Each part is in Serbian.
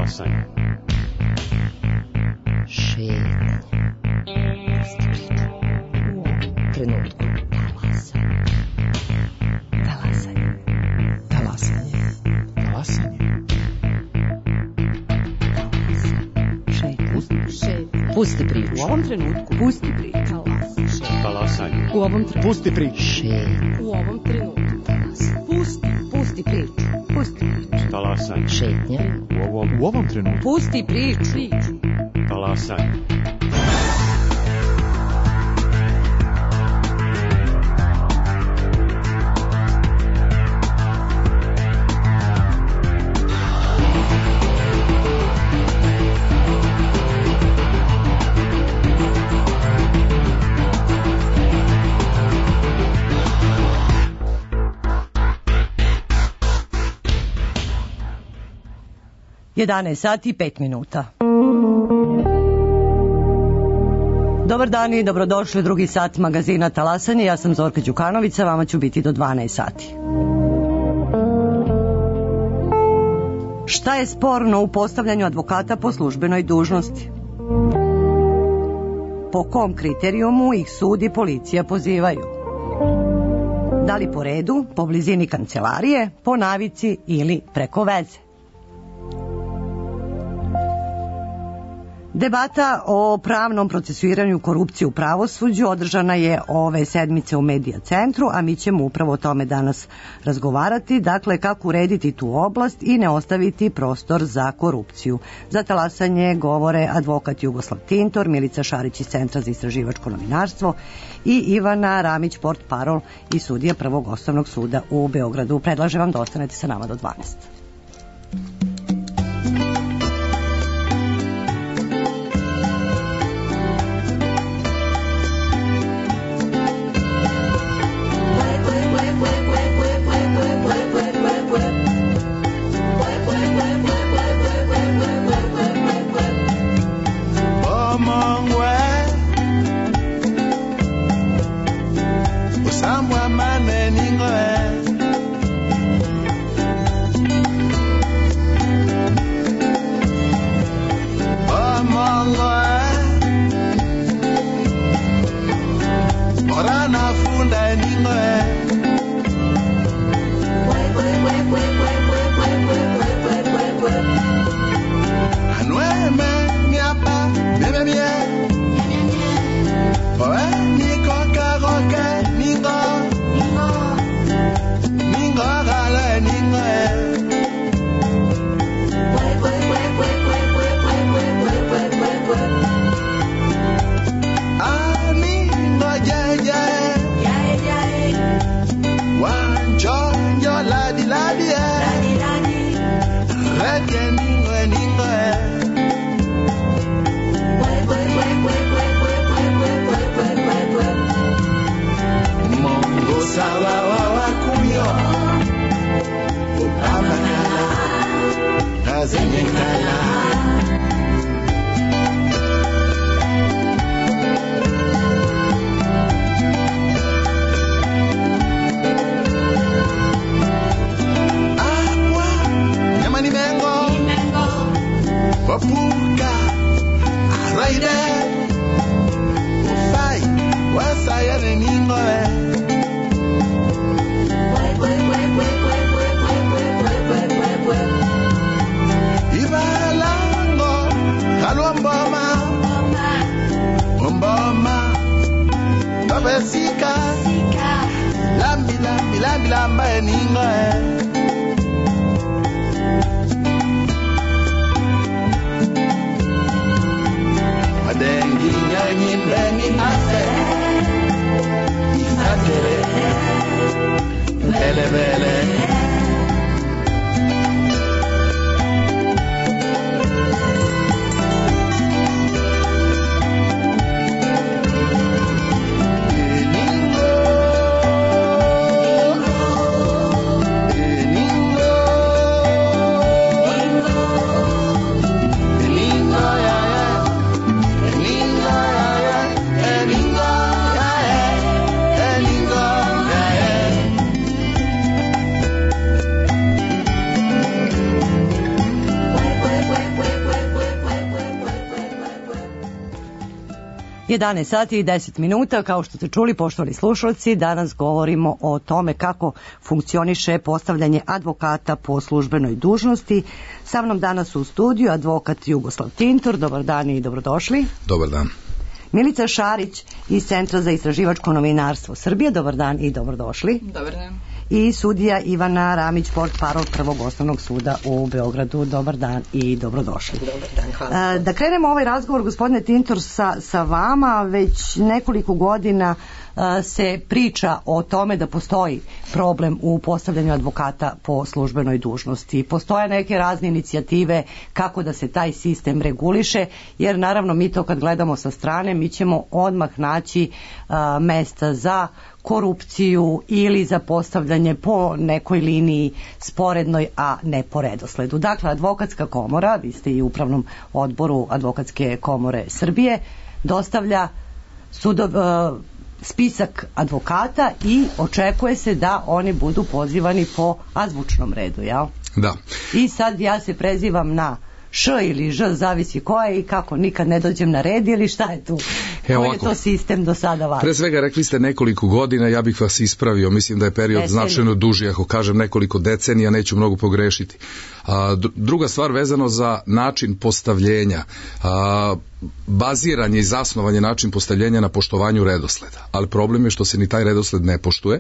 Talasanje. Šetnja. Trenutku. Talasanje. Talasanje. Talasanje. Šetnja. Pusti priču. U ovom trenutku. Pusti priču. Talasanje. U ovom trenutku. Pusti priču. Šetnja. U ovom trenutku. Pusti priču. Pusti priču. Talasanje. Šetnja. U ovom trenutku. Pusti priču. Talasanje. Jedanaest sati i 5 minuta. Dobar dan i dobrodošli u drugi sat magazina Talasanje. Ja sam Zorka Đukanović, sa vama ću biti do 12 sati. Šta je sporno u postavljanju advokata po službenoj dužnosti? Po kom kriterijumu ih sud i policija pozivaju? Da li po redu, po blizini kancelarije, po navici ili preko veze? Debata o pravnom procesuiranju korupcije u pravosuđu održana je ove sedmice u Medija centru, a mi ćemo upravo o tome danas razgovarati, dakle kako urediti tu oblast i ne ostaviti prostor za korupciju. Za Talasanje govore advokat Jugoslav Tintor, Milica Šarić iz Centra za istraživačko novinarstvo i Ivana Ramić, portparol i sudija Prvog osnovnog suda u Beogradu. Predlažem vam da ostanete sa nama do 12. 11 sati i 10 minuta, kao što ste čuli, poštovani slušalci, danas govorimo o tome kako funkcioniše postavljanje advokata po službenoj dužnosti. Sa mnom danas u studiju advokat Jugoslav Tintor. Dobar dan i dobrodošli. Dobar dan. Milica Šarić iz Centra za istraživačko novinarstvo Srbije. Dobar dan i dobrodošli. Dobar dan. I sudija Ivana Ramić, portparol Prvog osnovnog suda u Beogradu. Dobar dan i dobrodošli. Dobar dan, hvala. Da krenemo ovaj razgovor, gospodine Tintor, sa vama. Već nekoliko godina se priča o tome da postoji problem u postavljanju advokata po službenoj dužnosti. Postoje neke razne inicijative kako da se taj sistem reguliše, jer naravno mi to kad gledamo sa strane, mi ćemo odmah naći mesta za korupciju ili za postavljanje po nekoj liniji sporednoj, a ne po redosledu. Dakle, Advokatska komora, vi ste i u upravnom odboru Advokatske komore Srbije, dostavlja spisak advokata i očekuje se da oni budu pozivani po azbučnom redu, jel? Da. I sad ja se prezivam na Š ili Ž, zavisi ko je i kako, nikad ne dođem na red ili šta je tu? Koji je to sistem do sada važno? Pre svega rekli ste nekoliko godina, ja bih vas ispravio, mislim da je period značajno duži, ako kažem nekoliko decenija neću mnogo pogrešiti. Druga stvar vezano za način postavljenja, baziranje i zasnovanje način postavljenja na poštovanju redosleda, ali problem je što se ni taj redosled ne poštuje.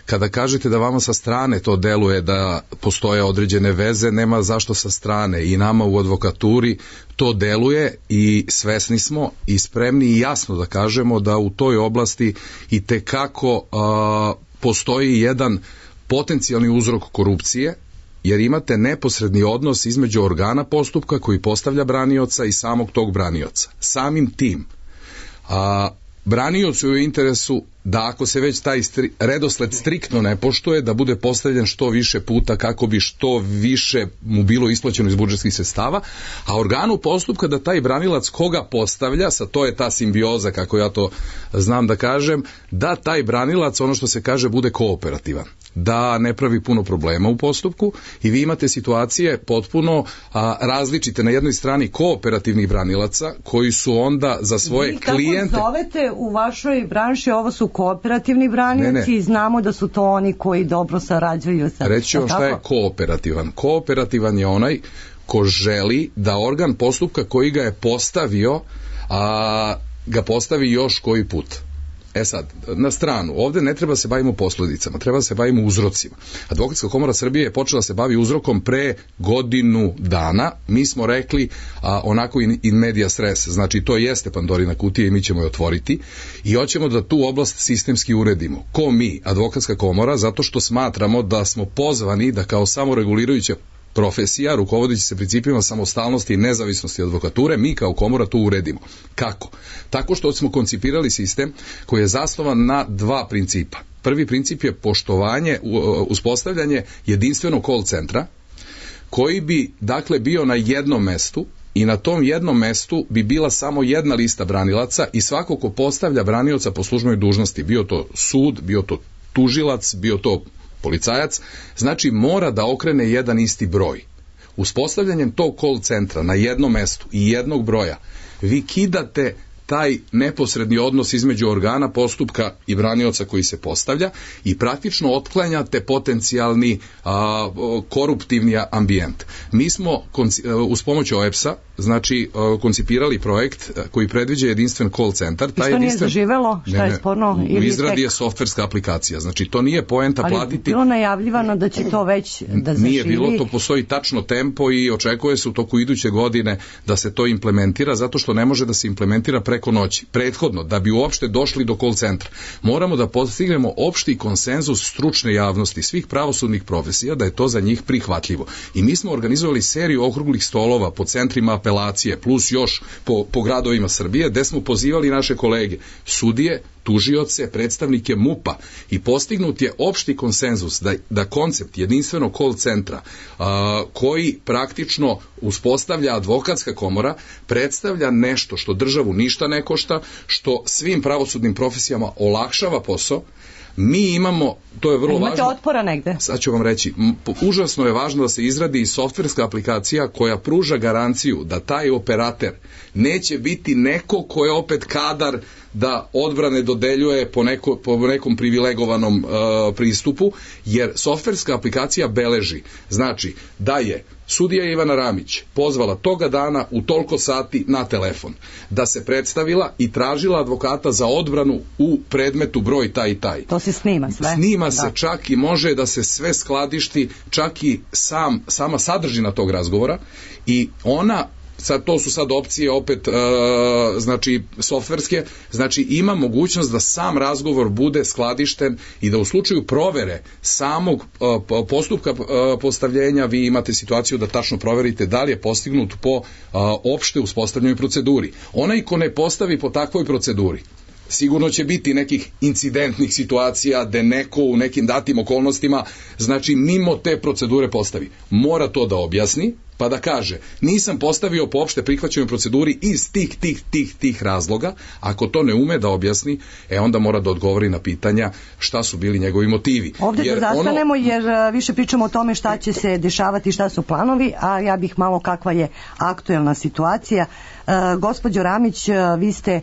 Kada kažete da vama sa strane to deluje da postoje određene veze, nema zašto sa strane, i nama u advokaturi to deluje i svesni smo i spremni i jasno da kažemo da u toj oblasti i tekako postoji jedan potencijalni uzrok korupcije, jer imate neposredni odnos između organa postupka koji postavlja branioca i samog tog branioca. Samim tim, braniocu je u interesu da ako se već taj redosled striktno ne poštuje, da bude postavljen što više puta kako bi što više mu bilo isplaćeno iz budžetskih sredstava, a organu postupka da taj branilac koga postavlja, sa to je ta simbioza, kako ja to znam da kažem, da taj branilac, ono što se kaže, bude kooperativan, da ne pravi puno problema u postupku, i vi imate situacije potpuno različite. Na jednoj strani kooperativnih branilaca koji su onda za svoje klijente... Vi kako zovete u vašoj branši, ovo su kooperativni branioci, i znamo da su to oni koji dobro sarađuju sa... Reći vam šta je kooperativan. Kooperativan je onaj ko želi da organ postupka koji ga je postavio, ga postavi još koji put. E sad, na stranu, ovde ne treba se bavimo posljedicama, treba se bavimo uzrocima. Advokatska komora Srbije je počela se bavi uzrokom pre godinu dana. Mi smo rekli onako in medias res, znači to jeste Pandorina kutija i mi ćemo je otvoriti i hoćemo da tu oblast sistemski uredimo. Ko mi? Advokatska komora, zato što smatramo da smo pozvani da kao samoregulirajuća profesija, rukovodeći se principima samostalnosti i nezavisnosti advokature, mi kao komora to uredimo. Kako? Tako što smo koncipirali sistem koji je zasnovan na dva principa. Prvi princip je poštovanje, uspostavljanje jedinstvenog call centra, koji bi, dakle, bio na jednom mestu, i na tom jednom mestu bi bila samo jedna lista branilaca i svako ko postavlja branioca po službenoj dužnosti, bio to sud, bio to tužilac, bio to policajac, znači mora da okrene jedan isti broj. Uspostavljanjem tog call centra na jednom mestu i jednog broja, vi kidate taj neposredni odnos između organa postupka i branioca koji se postavlja i praktično otklanjate potencijalni koruptivni ambijent. Mi smo uz pomoć OEBS-a, znači, koncipirali projekt koji predviđa jedinstven call centar. I što nije zaživelo? Šta je sporno? U izradi je softverska aplikacija, znači to nije poenta platiti. Ali bilo najavljivano da će to već da zaživi? Nije bilo, to postoji tačno tempo i očekuje se u toku iduće godine da se to implementira, zato što ne može da se implementira preko noći. Prethodno, da bi uopšte došli do call centra, moramo da postignemo opšti konsenzus stručne javnosti svih pravosudnih profesija da je to za njih prihvatljivo. I mi smo organizovali seriju okruglih stolova po centrima apelacije, plus još po gradovima Srbije, gde smo pozivali naše kolege, sudije, tužioce, predstavnike MUP-a, i postignut je opšti konsenzus da koncept jedinstvenog call centra koji praktično uspostavlja Advokatska komora predstavlja nešto što državu ništa ne košta, što svim pravosudnim profesijama olakšava posao. Mi imamo to je vrlo Imate važno. otpora negde? Sad ću vam reći, užasno je važno da se izradi i softverska aplikacija koja pruža garanciju da taj operater neće biti neko ko je opet kadar da odbrane dodeljuje po nekom privilegovanom pristupu, jer softverska aplikacija beleži, znači da je sudija Ivana Ramić pozvala toga dana u toliko sati na telefon, da se predstavila i tražila advokata za odbranu u predmetu broj taj i taj. To se snima sve? Snima se čak i može da se sve skladišti, čak i sama sadržina tog razgovora i ona sad to su sad opcije opet znači softverske, znači ima mogućnost da sam razgovor bude skladišten i da u slučaju provere samog postupka postavljenja vi imate situaciju da tačno proverite da li je postignut po opšte uspostavljenoj proceduri. Onaj ko ne postavi po takvoj proceduri, sigurno će biti nekih incidentnih situacija gde neko u nekim datim okolnostima, znači mimo te procedure postavi. Mora to da objasni, pa da kaže, nisam postavio po opšte prihvaćenoj proceduri iz tih razloga. Ako to ne ume da objasni, onda mora da odgovori na pitanja šta su bili njegovi motivi. Ovde da zastanemo, jer više pričamo o tome šta će se dešavati, šta su planovi, a ja bih malo kakva je aktuelna situacija. Gospođo Ramić, vi ste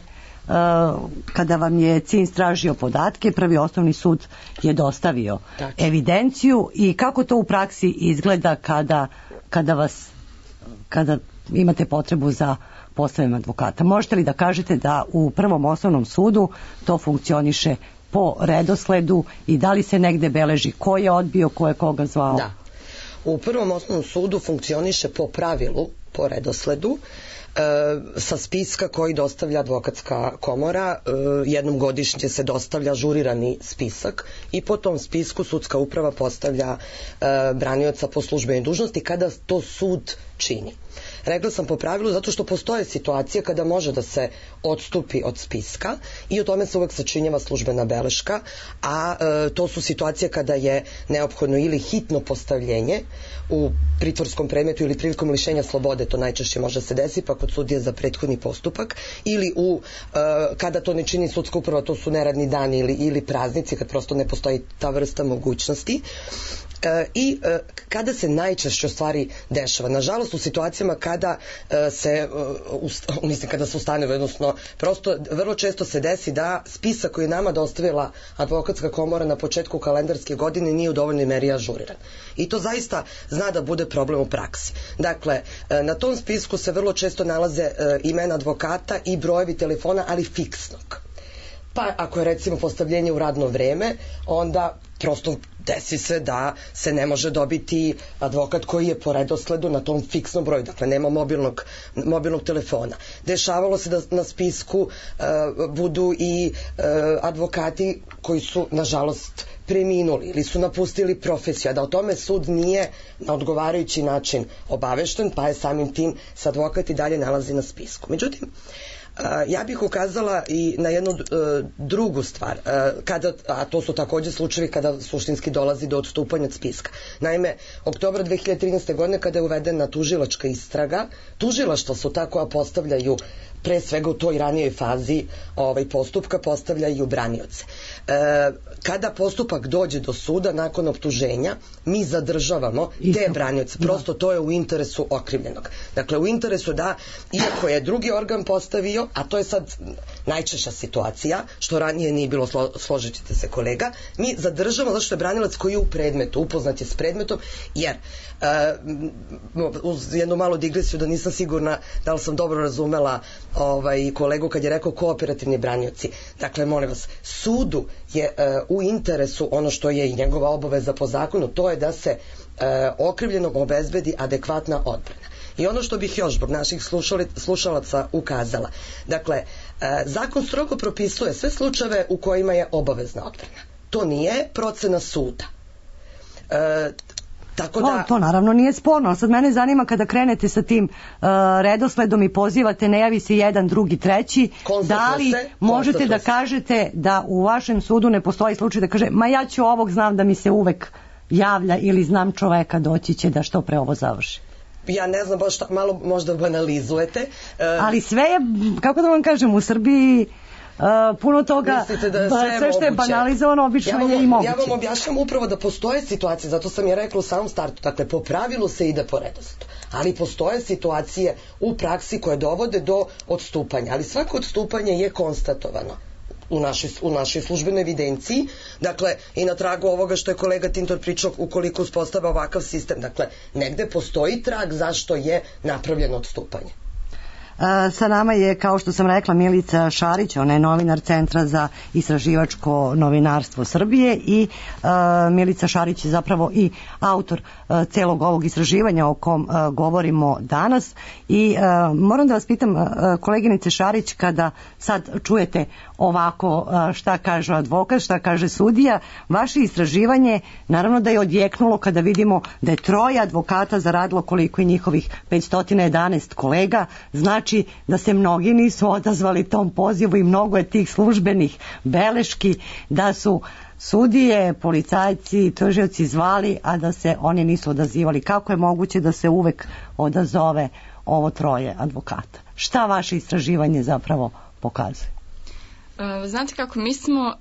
kada vam je CINS tražio podatke, Prvi osnovni sud je dostavio evidenciju i kako to u praksi izgleda kada imate potrebu za postavljanjem advokata. Možete li da kažete da u Prvom osnovnom sudu to funkcioniše po redosledu i da li se negde beleži ko je odbio, ko je koga zvao? Da. U Prvom osnovnom sudu funkcioniše po pravilu, po redosledu, sa spiska koji dostavlja advokatska komora. Jednom godišnje se dostavlja ažurirani spisak i po tom spisku sudska uprava postavlja branioca po službenoj dužnosti kada to sud čini. Rekla sam po pravilu zato što postoje situacije kada može da se odstupi od spiska i o tome se uvek sačinjava službena beleška, a to su situacije kada je neophodno ili hitno postavljenje u pritvorskom predmetu ili prilikom lišenja slobode, to najčešće može se desiti, pa kod sudije za prethodni postupak, ili kada to ne čini sudska uprava, to su neradni dani ili praznici, kad prosto ne postoji ta vrsta mogućnosti. I kada se najčešće stvari dešava, nažalost u situacijama kada se ustanovi, odnosno prosto vrlo često se desi da spisak koji je nama dostavila advokatska komora na početku kalendarske godine nije u dovoljnoj meri ažuriran. I to zaista zna da bude problem u praksi. Dakle, na tom spisku se vrlo često nalaze imena advokata i brojevi telefona, ali fiksnog. Pa ako je recimo postavljenje u radno vreme, onda prosto desi se da se ne može dobiti advokat koji je po redosledu na tom fiksnom broju, dakle nema mobilnog telefona. Dešavalo se da na spisku budu i advokati koji su nažalost preminuli ili su napustili profesiju, a da o tome sud nije na odgovarajući način obavešten, pa je samim tim se advokat i dalje nalazi na spisku. Međutim, ja bih ukazala i na jednu drugu stvar, a to su takođe slučajevi kada suštinski dolazi do odstupanja od spiska. Naime, oktobra 2013. godine kada je uvedena tužilačka istraga, tužilaštva su ta koja postavljaju, pre svega u toj ranijoj fazi postupka, postavljaju branioce. Kada postupak dođe do suda nakon optuženja, mi zadržavamo te branioce. Prosto to je u interesu okrivljenog. Dakle, u interesu da, iako je drugi organ postavio, a to je sad najčešća situacija, što ranije nije bilo, složit ćete se kolega, mi zadržavamo zato što je branilac koji je u predmetu, upoznat je s predmetom, jer uz jednu malu digresiju da nisam sigurna da li sam dobro razumela kolegu kad je rekao kooperativni branioci. Dakle, molim vas, sudu je u interesu ono što je i njegova obaveza po zakonu, to je da se okrivljenom obezbedi adekvatna odbrana. I ono što bih još zbog naših slušalaca ukazala, dakle, zakon strogo propisuje sve slučajeve u kojima je obavezna odbrana. To nije procena suda. To naravno nije sporno, ali sad mene zanima kada krenete sa tim redosledom i pozivate, ne javi se jedan, drugi, treći, da li možete da kažete da u vašem sudu ne postoji slučaj da kaže, ma ja ću ovog, znam da mi se uvek javlja ili znam čoveka, doći će da što pre ovo završi? Ja ne znam, baš malo možda banalizujete. Ali sve je, kako da vam kažem, u Srbiji puno toga, Mislite da je sve što je moguće? banalizovano, obično je i moguće. Ja vam objašnjam upravo da postoje situacije, zato sam je rekla u samom startu, dakle, po pravilu se ide po redosledu, ali postoje situacije u praksi koje dovode do odstupanja, ali svako odstupanje je konstatovano u našoj službenoj evidenciji, dakle, i na tragu ovoga što je kolega Tintor pričao, ukoliko uspostava ovakav sistem, dakle, negde postoji trag zašto je napravljeno odstupanje. Sa nama je, kao što sam rekla, Milica Šarić, ona je novinar Centra za istraživačko novinarstvo Srbije i Milica Šarić je zapravo i autor celog ovog istraživanja o kom govorimo danas i moram da vas pitam, koleginice Šarić, kada sad čujete ovako šta kaže advokat, šta kaže sudija, vaše istraživanje naravno da je odjeknulo kada vidimo da je 3 advokata zaradilo koliko i njihovih 511 kolega, znači da se mnogi nisu odazvali tom pozivu i mnogo je tih službenih beleški da su sudije, policajci, tužioci zvali, a da se oni nisu odazivali. Kako je moguće da se uvek odazove ovo 3 advokata? Šta vaše istraživanje zapravo pokazuje? Znate kako, mi smo,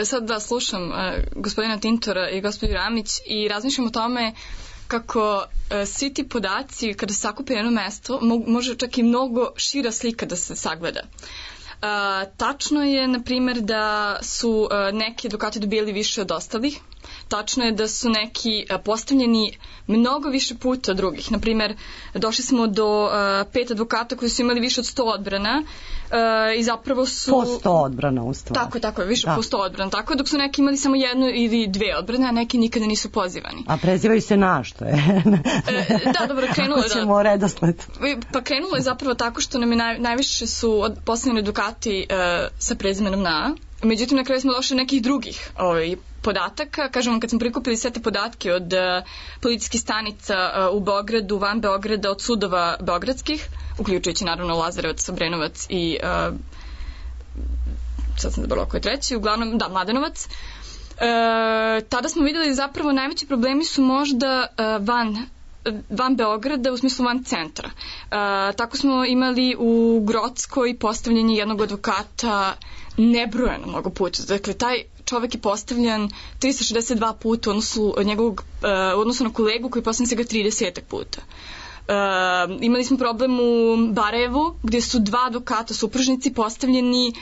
sad da slušam gospodina Tintora i gospođu Ramić i razmišljam o tome kako svi ti podaci kada se sakupe na jedno mesto može čak i mnogo šira slika da se sagleda. Tačno je, na primjer, da su neki advokati dobili više od ostalih. Tačno je da su neki postavljeni mnogo više puta od drugih. Na primjer, došli smo do 5 advokata koji su imali više od 100 odbrana i zapravo su... Po 100 odbrana u stvari. Tako, više po 100 odbrana. Tako, dok su neki imali samo 1 ili 2 odbrane, a neki nikada nisu pozivani. A prezivaju se na što je? Da, dobro, krenulo je. Kako ćemo redosled? Pa krenulo je zapravo tako što nam je najviše su postavljeni advokati sa prezimenom na. Međutim, na kraju smo došli nekih drugih podataka. Kažem vam, kad smo prikupili sve te podatke od policijskih stanica u Beogradu, van Beograda, od sudova beogradskih, uključujući naravno Lazarevac, Obrenovac i sad sam zaboravila koji je treći, uglavnom, da, Mladenovac. Tada smo videli zapravo najveći problemi su možda van Beograda, u smislu van centra. Tako smo imali u Grockoj postavljanje jednog advokata nebrojeno mnogo puta. Dakle, taj čovek je postavljan 362 puta u odnosu na kolegu koji je postavljan svega 30 puta. Imali smo problem u Barajevu gdje su 2 advokata supružnici postavljeni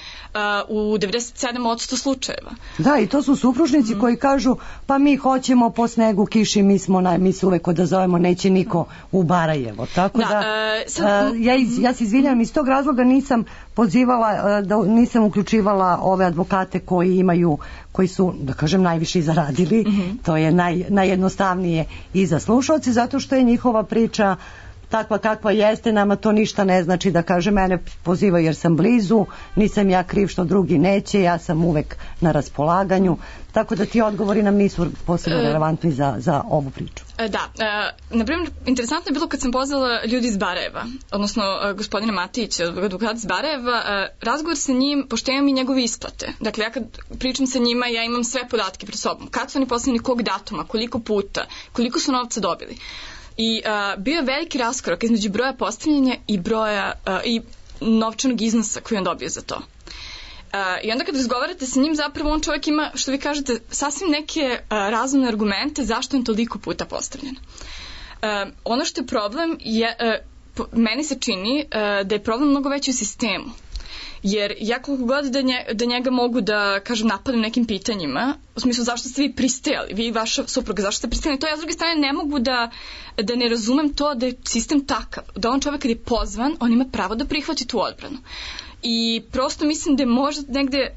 u 97% slučajeva. Da, i to su supružnici koji kažu pa mi hoćemo po snegu, kiši, mi se uvek odazovemo, neće niko u Barajevo. Tako da, ja se izvinjam, iz tog razloga nisam pozivala, nisam uključivala ove advokate koji su, da kažem, najviše zaradili. To je najjednostavnije i za slušalce, zato što je njihova priča takva kakva jeste, nama to ništa ne znači, da kaže mene pozivaju jer sam blizu, nisam ja kriv što drugi neće, ja sam uvek na raspolaganju, tako da ti odgovori nam nisu posebno relevantni za ovu priču. Da, na primjer, interesantno je bilo kad sam pozvala ljudi iz Barajeva, odnosno gospodina Matića, advokata iz Barajeva, razgovor sa njim, pošto imam i njegove isplate. Dakle, ja kad pričam sa njima, ja imam sve podatke pred sobom. Kad su oni postavljeni, kog datuma, koliko puta, koliko su novca dobili. I bio je veliki raskorak između broja postavljanja i novčanog iznosa koji on dobio za to. I onda kad razgovarate sa njim, zapravo on čovjek ima, što vi kažete, sasvim neke razumne argumente zašto on toliko puta postavljen. Ono što je problem meni se čini da je problem mnogo veći u sistemu. Jer ja koliko god da njega mogu da, kažem, napadam nekim pitanjima, u smislu zašto ste vi pristajali, vi i vaša supruga, zašto ste pristajali, to ja s druge strane ne mogu da ne razumem to da je sistem takav, da on čovjek kad je pozvan, on ima pravo da prihvati tu odbranu. I prosto mislim da je možda negde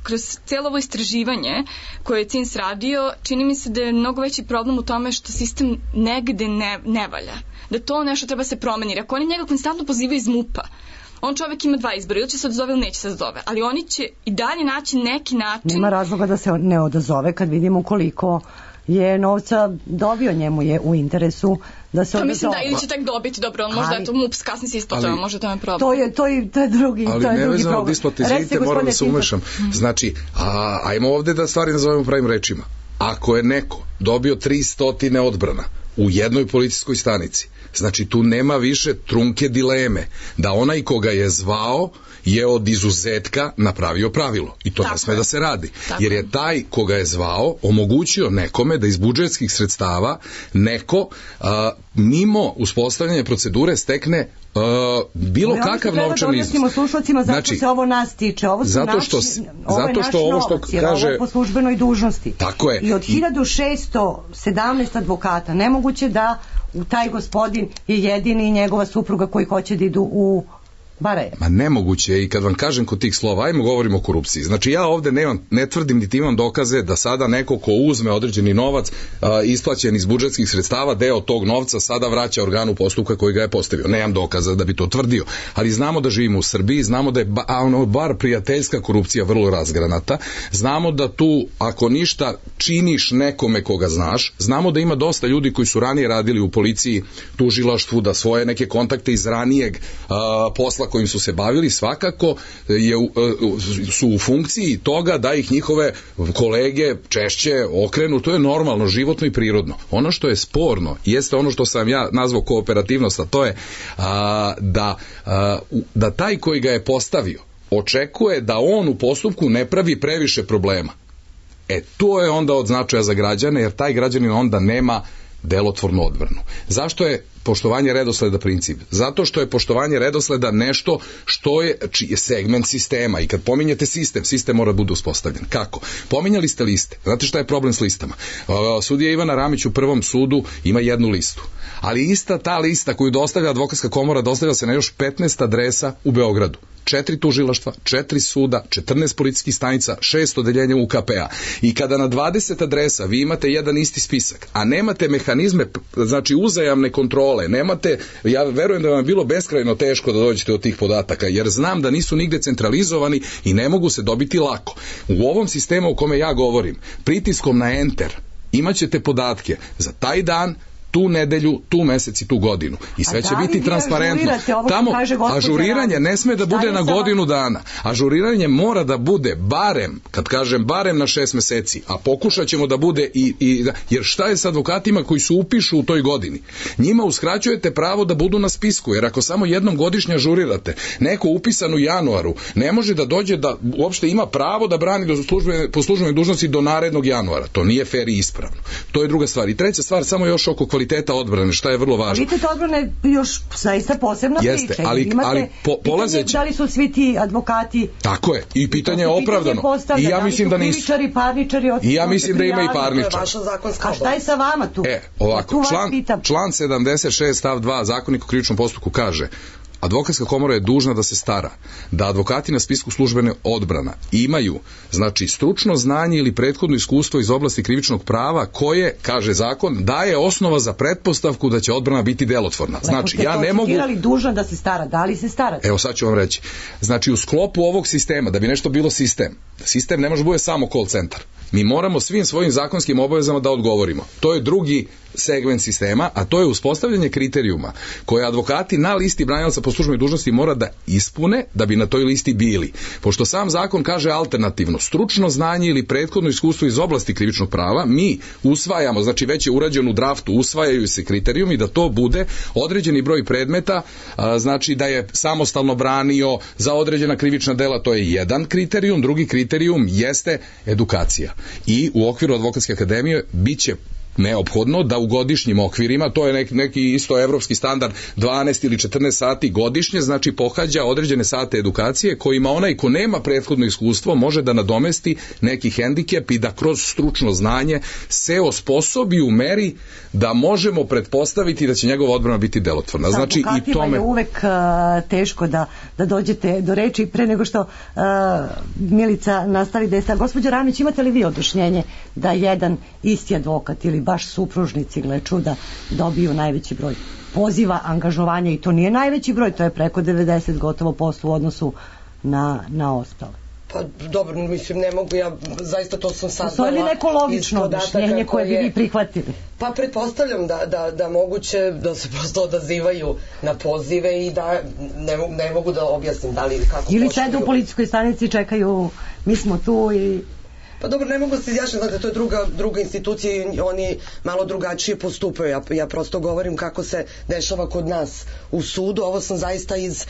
kroz cijelo ovo istraživanje koje je CINS radio, čini mi se da je mnogo veći problem u tome što sistem negde ne valja. Da to nešto treba se promeniti. Ako oni njega konstantno pozivaju iz MUP-a, on čovjek ima 2 izbora, ili će se odazove ili neće se odazove, ali oni će i dalje naći neki način. Nema razloga da se ne odazove kad vidimo koliko je novca dobio, njemu je u interesu da se odazove. Mislim da, ili će tek dobiti, dobro, on možda eto MUP kasni se isplatava, možda to je problem. To je drugi problem. Ali nevezano od isplate, izvinite, moram da se umešam. Znači, ajmo ovde da stvari nazovemo pravim rečima. Ako je neko dobio 300 odbrana u jednoj policijskoj stanici, znači tu nema više trunke dileme da onaj koga je zvao je od izuzetka napravio pravilo i to ne sme da se radi. Jer je taj koga je zvao omogućio nekome da iz budžetskih sredstava neko mimo uspostavljanja procedure stekne bilo kakav novčani iznos. Slušalcima zašto se ovo nas tiče. Ovo su naš novac, jer ovo je po službenoj dužnosti. Tako je. I od 1617 advokata nemoguće da u taj gospodin je jedini i njegova supruga koji hoće da idu u Barajevo. Ma nemoguće je i kad vam kažem kod tih slova, ajmo govorimo o korupciji. Znači ja ovde ne tvrdim niti imam dokaze da sada neko ko uzme određeni novac isplaćen iz budžetskih sredstava, deo tog novca sada vraća organu postupka koji ga je postavio. Nemam dokaza da bi to tvrdio, ali znamo da živimo u Srbiji, znamo da je bar prijateljska korupcija vrlo razgranata, znamo da tu ako ništa činiš nekome koga znaš, znamo da ima dosta ljudi koji su ranije radili u policiji, tužilaštvu, da svoje neke kontakte iz ranijeg posla kojim su se bavili svakako su u funkciji toga da ih njihove kolege češće okrenu, to je normalno, životno i prirodno. Ono što je sporno jeste ono što sam ja nazvao kooperativnost, a to je da taj koji ga je postavio očekuje da on u postupku ne pravi previše problema. To je onda od značaja za građane, jer taj građanin onda nema delotvornu odbranu. Zašto je poštovanje redosleda princip? Zato što je poštovanje redosleda nešto što je segment sistema i kad pominjete sistem mora bude uspostavljen. Kako? Pominjali ste liste. Znate šta je problem s listama? Sudija Ivana Ramić u prvom sudu ima jednu listu, ali ista ta lista koju dostavlja advokatska komora dostavlja se na još 15 adresa u Beogradu. 4 tužilaštva, 4 suda, 14 policijskih stanica, 6 odeljenja UKP-a. I kada na 20 adresa vi imate jedan isti spisak, a nemate mehanizme, znači uzajamne kontrole, nemate, ja verujem da vam je bilo beskrajno teško da dođete do tih podataka, jer znam da nisu nigde centralizovani i ne mogu se dobiti lako. U ovom sistemu o kome ja govorim, pritiskom na enter, imaćete podatke za taj dan, tu nedelju, tu mesec i tu godinu. I sve će biti transparentno. Tamo ažuriranje ne sme da bude na godinu dana. Ažuriranje mora da bude barem, kad kažem barem na 6 meseci, a pokušat ćemo da bude jer šta je sa advokatima koji se upišu u toj godini? Njima uskraćujete pravo da budu na spisku, jer ako samo jednom godišnje ažurirate, neko upisan u januaru ne može da dođe da uopšte ima pravo da brani po službenoj dužnosti do narednog januara. To nije fer i ispravno. To je druga stvar. I treća stvar, samo još oko kvaliteta odbrane, šta je vrlo važno. Kvalitet odbrane je još zaista posebna priča. Ali polazeći... Da li su svi ti advokati... Tako je. I pitanje je opravdano. I ja mislim da nisu. Krivičari, parničari... I ja mislim da ima i parničar. A šta je sa vama tu? Ovako, član 76 stav 2 Zakonika o krivičnom postupku kaže: advokatska komora je dužna da se stara da advokati na spisku službene odbrana imaju, znači, stručno znanje ili prethodno iskustvo iz oblasti krivičnog prava koje, kaže zakon, daje osnova za pretpostavku da će odbrana biti delotvorna. Znači, ja ne mogu... dužna da se stara, da li se stara? Evo, sad ću vam reći. Znači, u sklopu ovog sistema, da bi nešto bilo sistem ne može bude samo call centar. Mi moramo svim svojim zakonskim obavezama da odgovorimo. To je drugi segment sistema, a to je uspostavljanje kriterijuma koje advokati na listi branilaca po službenoj dužnosti mora da ispune da bi na toj listi bili. Pošto sam zakon kaže alternativno, stručno znanje ili prethodno iskustvo iz oblasti krivičnog prava, mi usvajamo, znači već je urađen u draftu, usvajaju se kriterijumi da to bude određeni broj predmeta, znači da je samostalno branio za određena krivična dela, to je jedan kriterijum, drugi kriterijum jeste edukacija. I u okviru Advokatske akademije biće neophodno da u godišnjim okvirima, to je neki isto evropski standard, 12 ili 14 sati godišnje, znači pohađa određene sate edukacije kojima onaj ko nema prethodno iskustvo može da nadomesti neki hendikep i da kroz stručno znanje se osposobi u meri da možemo pretpostaviti da će njegova odbrana biti delotvorna. Znači, i tome je uvek teško da dođete do reči pre nego što Milica nastavi da je sta. Gospođo Ramić, imate li vi objašnjenje da jedan isti advokat ili baš supružnici, gle čuda, dobiju najveći broj poziva, angažovanja, i to nije najveći broj, to je preko 90 gotovo posto u odnosu na ostale? Pa dobro, mislim, ne mogu, ja zaista to sam saznala. Postoji li neko logično objašnjenje koje bi vi prihvatili? Pa pretpostavljam da moguće da se prosto odazivaju na pozive i da ne mogu da objasnim da li kako ili sede u policijskoj stanici, čekaju, mi smo tu i Pa dobro, ne mogu se izjašnjati, znate, to je druga institucija i oni malo drugačije postupaju. Ja prosto govorim kako se dešava kod nas u sudu. Ovo sam zaista iz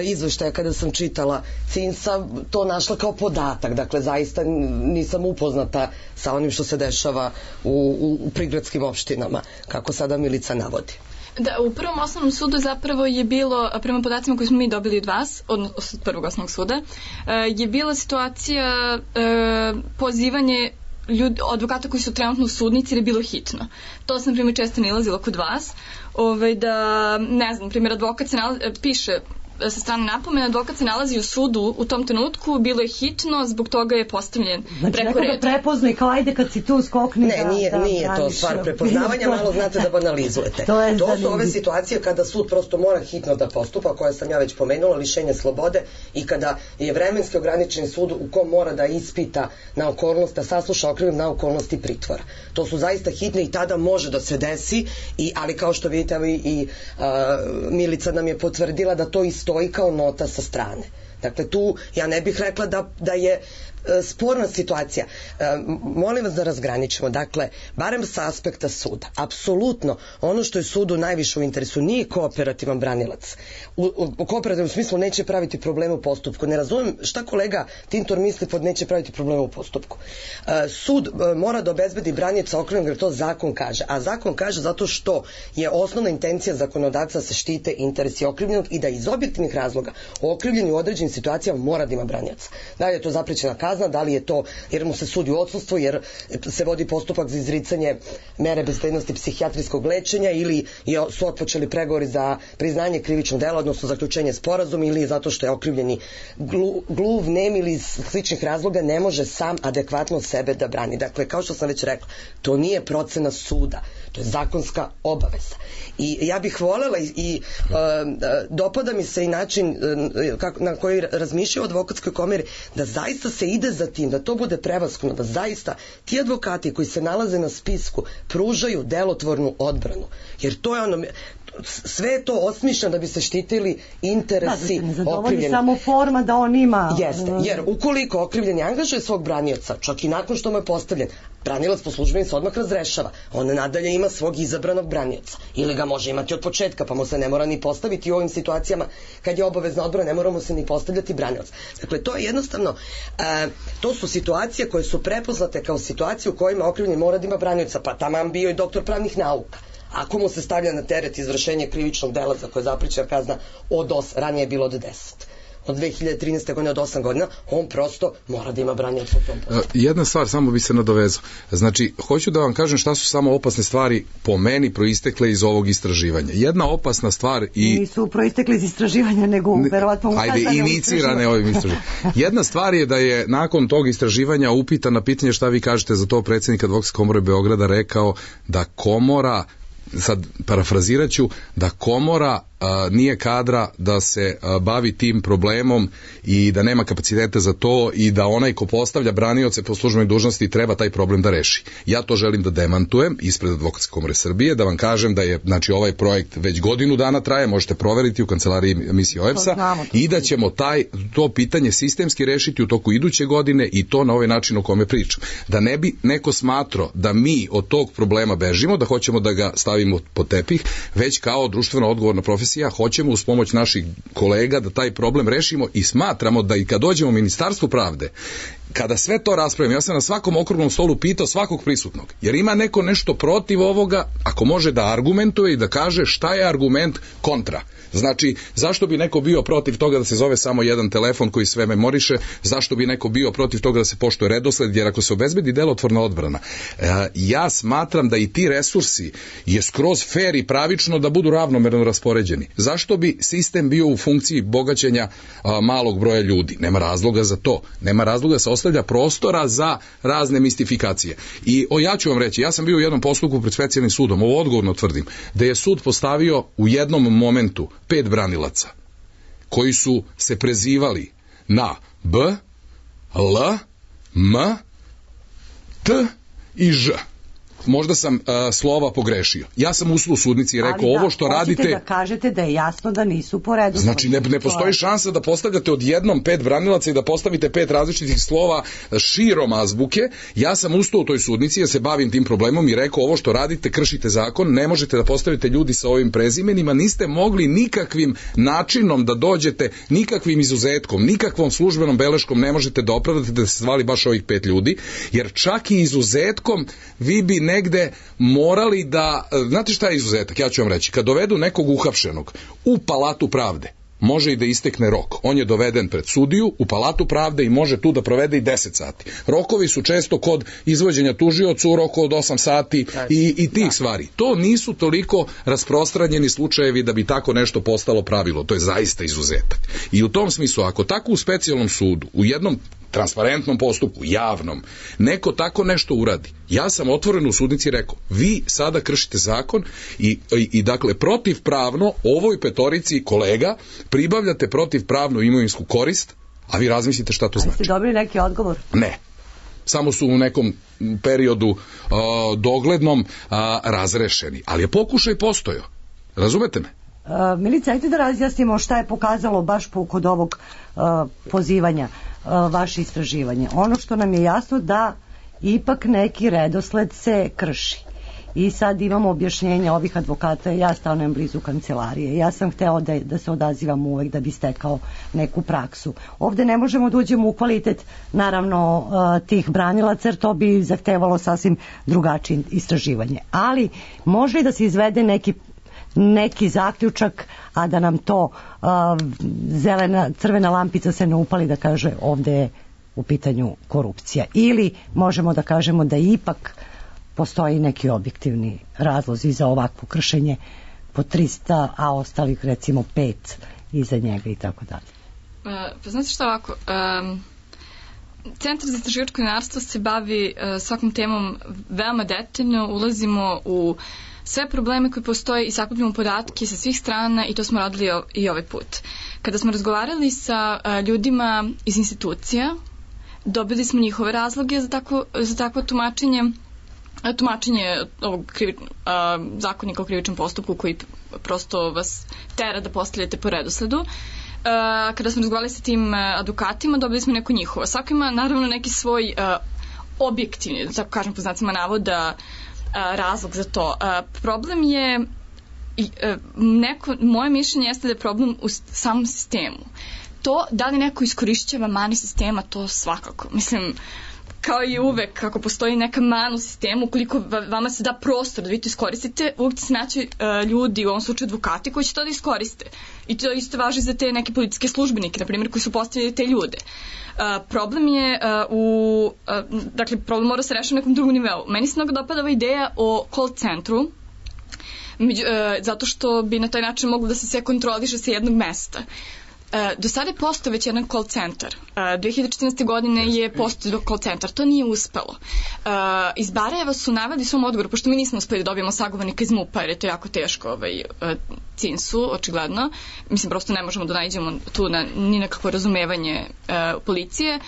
izveštaja kada sam čitala CINS-a to našla kao podatak. Dakle, zaista nisam upoznata sa onim što se dešava u prigradskim opštinama, kako sada Milica navodi. Da, u prvom osnovnom sudu zapravo je bilo, prema podacima koje smo mi dobili od vas, od prvog osnovnog suda, je bila situacija pozivanje advokata koji su trenutno u sudnici jer je bilo hitno. To sam, primjer, često nalazila kod vas, da, ne znam, primjer, advokat se piše sa strane napomena, advokat se nalazi u sudu u tom trenutku, bilo je hitno, zbog toga je postavljen preko reda. Znači, nekoga prepozna i kao ajde kad si tu skokni. Ne, nije to stvar prepoznavanja, malo znate da banalizujete. To su ove situacije kada sud prosto mora hitno da postupa, koje sam ja već pomenula, lišenje slobode, i kada je vremenski ograničen sud u kom mora da ispita na okolnost, da sasluša okrivljenog na okolnosti pritvora. To su zaista hitne i tada može da se desi, ali kao što vidite i Milica nam je potvrdila da to stoji kao nota sa strane. Dakle, tu ja ne bih rekla da je sporna situacija. Molim vas da razgraničimo. Dakle, barem sa aspekta suda. Apsolutno, ono što je sudu najviše u interesu nije kooperativan branilac. U kooperativnom smislu neće praviti probleme u postupku. Ne razumem šta kolega Tintor misli pod neće praviti probleme u postupku. Sud mora da obezbedi branioca okrivljenog, jer to zakon kaže. A zakon kaže zato što je osnovna intencija zakonodavca da se štite interesi okrivljenog i da iz objektivnih razloga okrivljeni u određenim situacijama mora da ima branioca. Da li je to zaprećena kazna, da li je to jer mu se sudi u odsustvu, jer se vodi postupak za izricanje mere bezbednosti psihijatrijskog lečenja, ili su otpočeli pregovori za priznanje krivičnog dela, odnosno zaključenje sporazuma, ili zato što je okrivljeni gluv, nem ili iz sličnih razloga ne može sam adekvatno sebe da brani. Dakle, kao što sam već rekla, to nije procena suda, to je zakonska obaveza. I ja bih volela i dopada mi se i način na koji razmišljaju o advokatskoj komori, da zaista se ide za tim, da to bude prevashodno, da zaista ti advokati koji se nalaze na spisku pružaju delotvornu odbranu. Jer to je ono, sve je to osmišljeno da bi se štitili interesi okrivljenih. Samo forma da on ima... Jeste, jer ukoliko okrivljeni angažuje svog branioca, čak i nakon što mu je postavljen, branilac po službeni se odmah razrešava. On nadalje ima svog izabranog branioca. Ili ga može imati od početka, pa mu se ne mora ni postaviti u ovim situacijama kad je obavezna odbrana, ne mora mu se ni postavljati branilac. Dakle, to je jednostavno, to su situacije koje su prepoznate kao situacije u kojima okrivljeni mora da ima branioca, pa taman bio i doktor pravnih nauka. Ako mu se stavlja na teret izvršenje krivičnog dela za koje je zaprećena kazna ranije je bilo od 10. Od 2013. godine od 8 godina, on prosto mora da ima branioca u tom postupku. Jedna stvar, samo bi se nadovezao. Znači, hoću da vam kažem šta su samo opasne stvari po meni proistekle iz ovog istraživanja. Jedna opasna stvar i... Nisu proistekle iz istraživanja, nego verovatno ukazane. Ajde, inicirane ovim istraživanjem. Jedna stvar je da je nakon tog istraživanja upitan na pitanje šta vi kažete za to predsjednik Advokatske komore Beograda rekao da komora, sad parafrazirat ću, da komora nije kadra da se bavi tim problemom i da nema kapacitete za to i da onaj ko postavlja branioce po službenoj dužnosti treba taj problem da reši. Ja to želim da demantujem ispred Advokatske komore Srbije, da vam kažem da je, znači, ovaj projekt već godinu dana traje, možete proveriti u kancelariji emisije OEPS-a, i da ćemo to pitanje sistemski rešiti u toku iduće godine i to na ovaj način o kome pričam. Da ne bi neko smatrao da mi od tog problema bežimo, da hoćemo da ga stavimo pod tepih, već kao društveno odgovorna profesija hoćemo uz pomoć naših kolega da taj problem rešimo i smatramo da i kad dođemo u Ministarstvo pravde, kada sve to raspravimo, ja sam na svakom okruglom stolu pitao svakog prisutnog, jer ima neko nešto protiv ovoga, ako može da argumentuje i da kaže šta je argument kontra. Znači, zašto bi neko bio protiv toga da se zove samo jedan telefon koji sve memoriše, zašto bi neko bio protiv toga da se poštuje redosled, jer ako se obezbedi delotvorna odbrana, ja smatram da i ti resursi je skroz fair i pravično da budu ravnomerno raspoređeni. Zašto bi sistem bio u funkciji bogaćenja malog broja ljudi? Nema razloga za to. Nema razloga da se ostavlja prostora za razne mistifikacije. I ja ću vam reći, ja sam bio u jednom postupku pred specijalnim sudom, ovo odgovorno tvrdim, da je sud postavio u jednom momentu 5 branilaca koji su se prezivali na B, L, M, T i Ž. možda sam slova pogrešio. Ja sam ustao u sudnici i rekao ovo što radite... Ali da kažete da je jasno da nisu po redu. Znači ne postoji šansa da postavljate odjednom 5 branilaca i da postavite 5 različitih slova širom azbuke. Ja sam ustao u toj sudnici, ja se bavim tim problemom i rekao ovo što radite, kršite zakon, ne možete da postavite ljudi sa ovim prezimenima, niste mogli nikakvim načinom da dođete, nikakvim izuzetkom, nikakvom službenom beleškom ne možete da opravdate da se zvali baš ovih 5 ljudi, jer čak i izuzetkom vi bi negde morali da, znate šta je izuzetak, ja ću vam reći, kad dovedu nekog uhapšenog u Palatu pravde, može i da istekne rok. On je doveden pred sudiju u Palatu pravde i može tu da provede i 10 sati. Rokovi su često kod izvođenja tužiocu u roku od 8 sati i tih stvari. To nisu toliko rasprostranjeni slučajevi da bi tako nešto postalo pravilo. To je zaista izuzetak. I u tom smislu, ako tako u specijalnom sudu, u jednom transparentnom postupku, javnom, neko tako nešto uradi. Ja sam otvoreno u sudnici rekao, vi sada kršite zakon i dakle protivpravno ovoj petorici kolega pribavljate protivpravnu imovinsku korist, a vi razmislite šta to znači. Ste dobili neki odgovor? Ne. Samo su u nekom periodu doglednom razrešeni. Ali je pokušaj postojao. Razumete me? Milica, ajte da razjasnimo šta je pokazalo baš kod ovog pozivanja vaše istraživanje. Ono što nam je jasno da ipak neki redosled se krši. I sad imamo objašnjenje ovih advokata, ja stanujem blizu kancelarije, ja sam hteo da se odazivam uvek da bi stekao neku praksu. Ovde ne možemo da uđemo u kvalitet, naravno, tih branilaca, jer to bi zahtevalo sasvim drugačije istraživanje. Ali može da se izvede neki zaključak, a da nam to crvena lampica se ne upali da kaže ovde je u pitanju korupcija. Ili možemo da kažemo da ipak postoji neki objektivni razlozi za ovakvo kršenje po 300, a ostalih recimo 5 iza njega i tako dalje. Pa znate šta ovako, Centar za istraživačko novinarstvo se bavi svakom temom veoma detaljno, ulazimo u sve probleme koji postoje i sakupljamo podatke sa svih strana i to smo radili i ovaj put. Kada smo razgovarali sa ljudima iz institucija, dobili smo njihove razloge za takvo tumačenje ovog zakonika o krivičnom postupku koji prosto vas tera da postavljate po redosledu. Kada smo razgovarali sa tim advokatima, dobili smo neko njihovo. Svako ima naravno neki svoj objektivni, da tako kažem po znacima navoda, razlog za to. Problem je, moje mišljenje jeste da je problem u samom sistemu. To, da li neko iskorišćava mani sistema, to svakako. Mislim, kao i uvek, kako postoji neka mana u sistemu, ukoliko vama se da prostor da vi to iskoristite, uvek će se naći ljudi, u ovom slučaju advokati, koji će to da iskoriste. I to isto važi za te neke policijske službenike, na primjer, koji su postavili te ljude. Problem je dakle, problem mora se rešiti na nekom drugom nivou. Meni se mnogo dopada ova ideja o call centru, zato što bi na taj način moglo da se sve kontroliše sa jednog mesta. Do sada je postao već jedan call centar. 2014. godine je postao call centar. To nije uspelo. Iz Barajeva su naveli svom odgovoru, pošto mi nismo uspeli da dobijemo sagovornika iz MUP-a, jer je to jako teško CINS-u, očigledno. Mislim, prosto ne možemo da nađemo tu ni nekakvo razumevanje policije.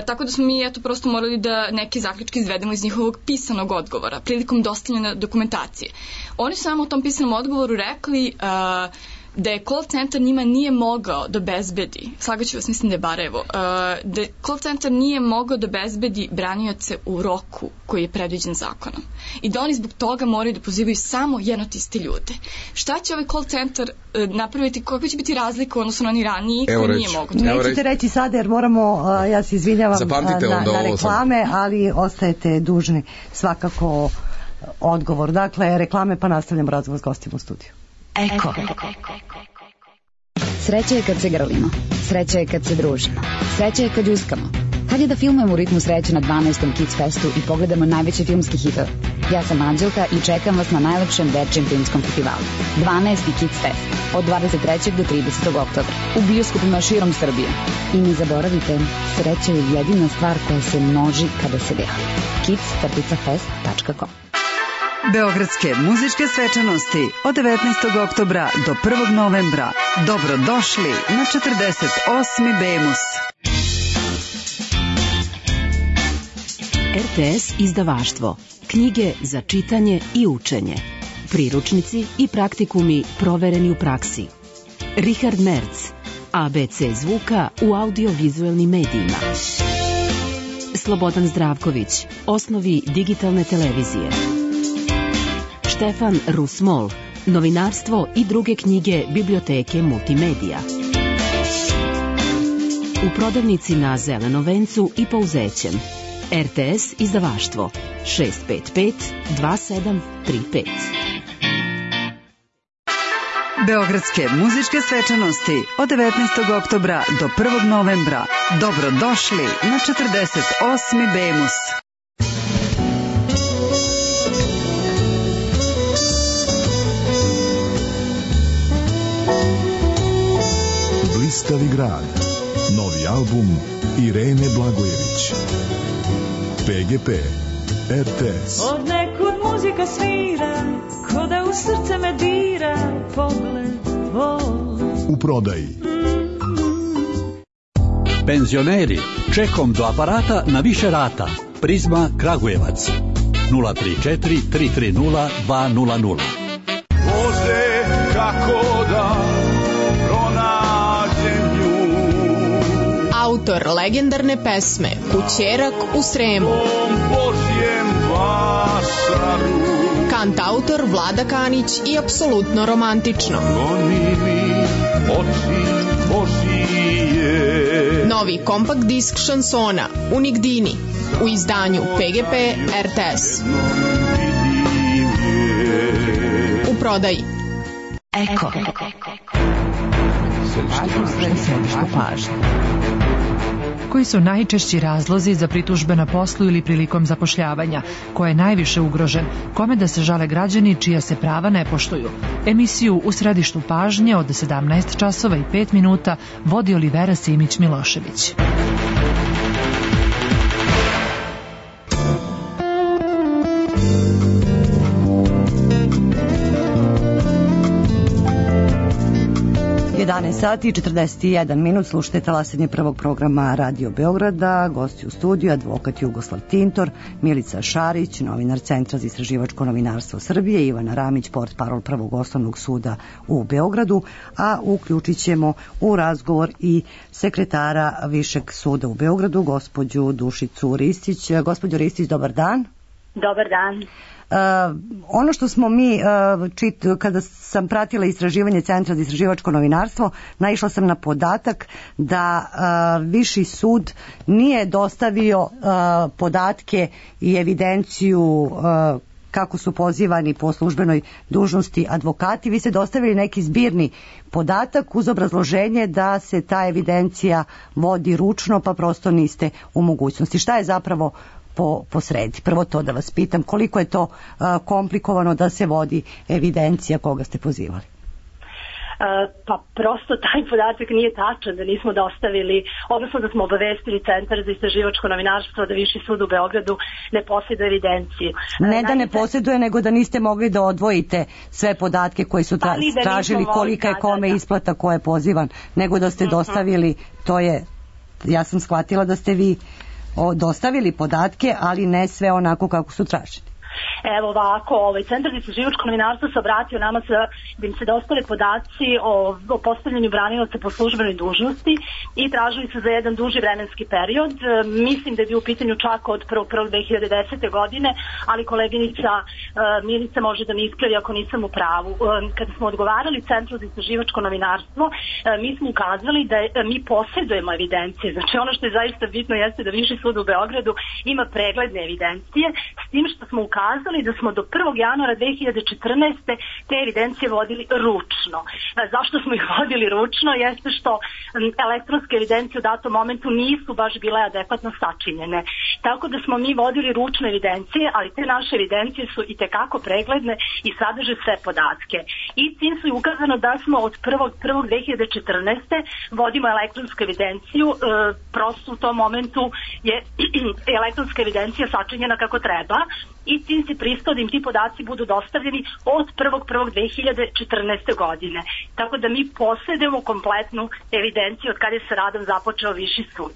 Tako da smo mi prosto morali da neke zaključke izvedemo iz njihovog pisanog odgovora prilikom dostavljanja dokumentacije. Oni su nam u tom pisanom odgovoru rekli da je call centar njima nije mogao da obezbedi, slagaću vas, mislim da je Barajevo, da je call centar nije mogao da obezbedi branioce u roku koji je predviđen zakonom. I da oni zbog toga moraju da pozivaju samo jedno te iste ljude. Šta će ovaj call centar napraviti, kakva će biti razlika odnosno na oni raniji koji nije mogo? Nećete reći sada jer moramo, ja se izvinjavam na reklame, ali ostajete dužni svakako odgovor. Dakle, reklame pa nastavljamo razgovor s gostima u studiju. Eko. Sreća je kad se grlimo, sreća je kad se družimo, sreća je kad uskamo. Hajde da filmujemo u ritmu sreće na 12. Kids Festu i pogledamo najveće filmske hitove. Ja sam Anđelka i čekam vas na najlepšem dečijem filmskom festivalu. 12. Kids Fest od 23. do 30. oktobra u bioskopima širom Srbije. I ne zaboravite, sreća je jedina stvar koja se množi kada se deli. kids-fest.com. Beogradske muzičke svečanosti od 19. oktobra do 1. novembra. Dobrodošli na 48. Bemus. RTS izdavaštvo. knjige za čitanje i učenje, priručnici i praktikumi provereni u praksi. Richard Merz, ABC zvuka u audiovizualnim medijima. Slobodan Zdravković, osnovi digitalne televizije. Štefan Rusmol, novinarstvo i druge knjige biblioteke multimedija. U prodavnici na Zelenom vencu i Pouzećem. RTS izdavaštvo 655 2735. Beogradske muzičke svečanosti od 19. oktobra do 1. novembra. Dobrodošli na 48. Bemus. Blistavi grad. Novi album Irene Blagojević. PGP RTS. Od nekud muzika svira, ko da u srce me dira pogled tvoj. U prodaji. Penzioneri, čekom do aparata na više rata. Prizma Kragujevac 034 330 200. Bože, kako da pronađem nju. Autor legendarne pesme Kućerak u Sremu. Božjem vašaru. Kantautor Vlada Kanić i apsolutno romantično. Goni mi oči Božije. Novi kompakt disk šansona Unigdini u izdanju PGP RTS. U prodaji. Eko. Središte pažnje. Koji su najčešći razlozi za pritužbe na poslu ili prilikom zapošljavanja? Ko je najviše ugrožen? Kome da se žale građani čija se prava ne poštuju? Emisiju U središtu pažnje od 17 časova i 5 minuta vodi Olivera Simić-Milošević. Sati i 41 minut, slušajte talasanje prvog programa Radio Beograda, gosti u studiju, advokat Jugoslav Tintor, Milica Šarić, novinar Centra za istraživačko novinarstvo Srbije, Ivana Ramić, portparol Prvog osnovnog suda u Beogradu, a uključit ćemo u razgovor i sekretara Višeg suda u Beogradu, gospođu Dušicu Ristić. Gospođo Ristić, dobar dan. Dobar dan. Ono što smo mi kada sam pratila istraživanje Centra za istraživačko novinarstvo, naišla sam na podatak da Viši sud nije dostavio podatke i evidenciju kako su pozivani po službenoj dužnosti advokati. Vi ste dostavili neki zbirni podatak uz obrazloženje da se ta evidencija vodi ručno, pa prosto niste u mogućnosti. Šta je zapravo po sredi? Prvo to da vas pitam, koliko je to komplikovano da se vodi evidencija koga ste pozivali? Pa prosto taj podatak nije tačan, da nismo dostavili, odnosno da smo obavestili Centar za istraživačko novinarstvo da Viši sud u Beogradu ne posjeduje evidenciju. Ne da ne posjeduje, nego da niste mogli da odvojite sve podatke koji su tražili, kolika je kome isplata, ko je pozivan, nego da ste dostavili, to je, ja sam shvatila da ste vi dostavili podatke, ali ne sve onako kako su traženi. Evo ovako, Centar za istraživačko novinarstvo se obratio nama da im se dostave podaci o postavljanju branilaca po službenoj dužnosti i tražili su za jedan duži vremenski period. Mislim da je bio u pitanju čak od 1.1.2010. godine, ali koleginica Milica može da mi ispravi ako nisam u pravu. Kada smo odgovarali Centru za istraživačko novinarstvo, mi smo ukazali da mi posjedujemo evidencije. Znači ono što je zaista bitno jeste da Viši sud u Beogradu ima pregledne evidencije, s tim što smo ukazali da smo do 1. januara 2014. te evidencije vodili ručno. Zašto smo ih vodili ručno? Jeste što elektronske evidencije u datom momentu nisu baš bile adekvatno sačinjene. Tako da smo mi vodili ručne evidencije, ali te naše evidencije su i tekako pregledne i sadrže sve podatke. I tim su ukazano da smo od 1.1.2014. vodimo elektronsku evidenciju, prosto u tom momentu je elektronska evidencija sačinjena kako treba i tim se pristao da im ti podaci budu dostavljeni od 1.1.2014. godine. Tako da mi posjedujemo kompletnu evidenciju od kada je sa radom započeo Viši sud.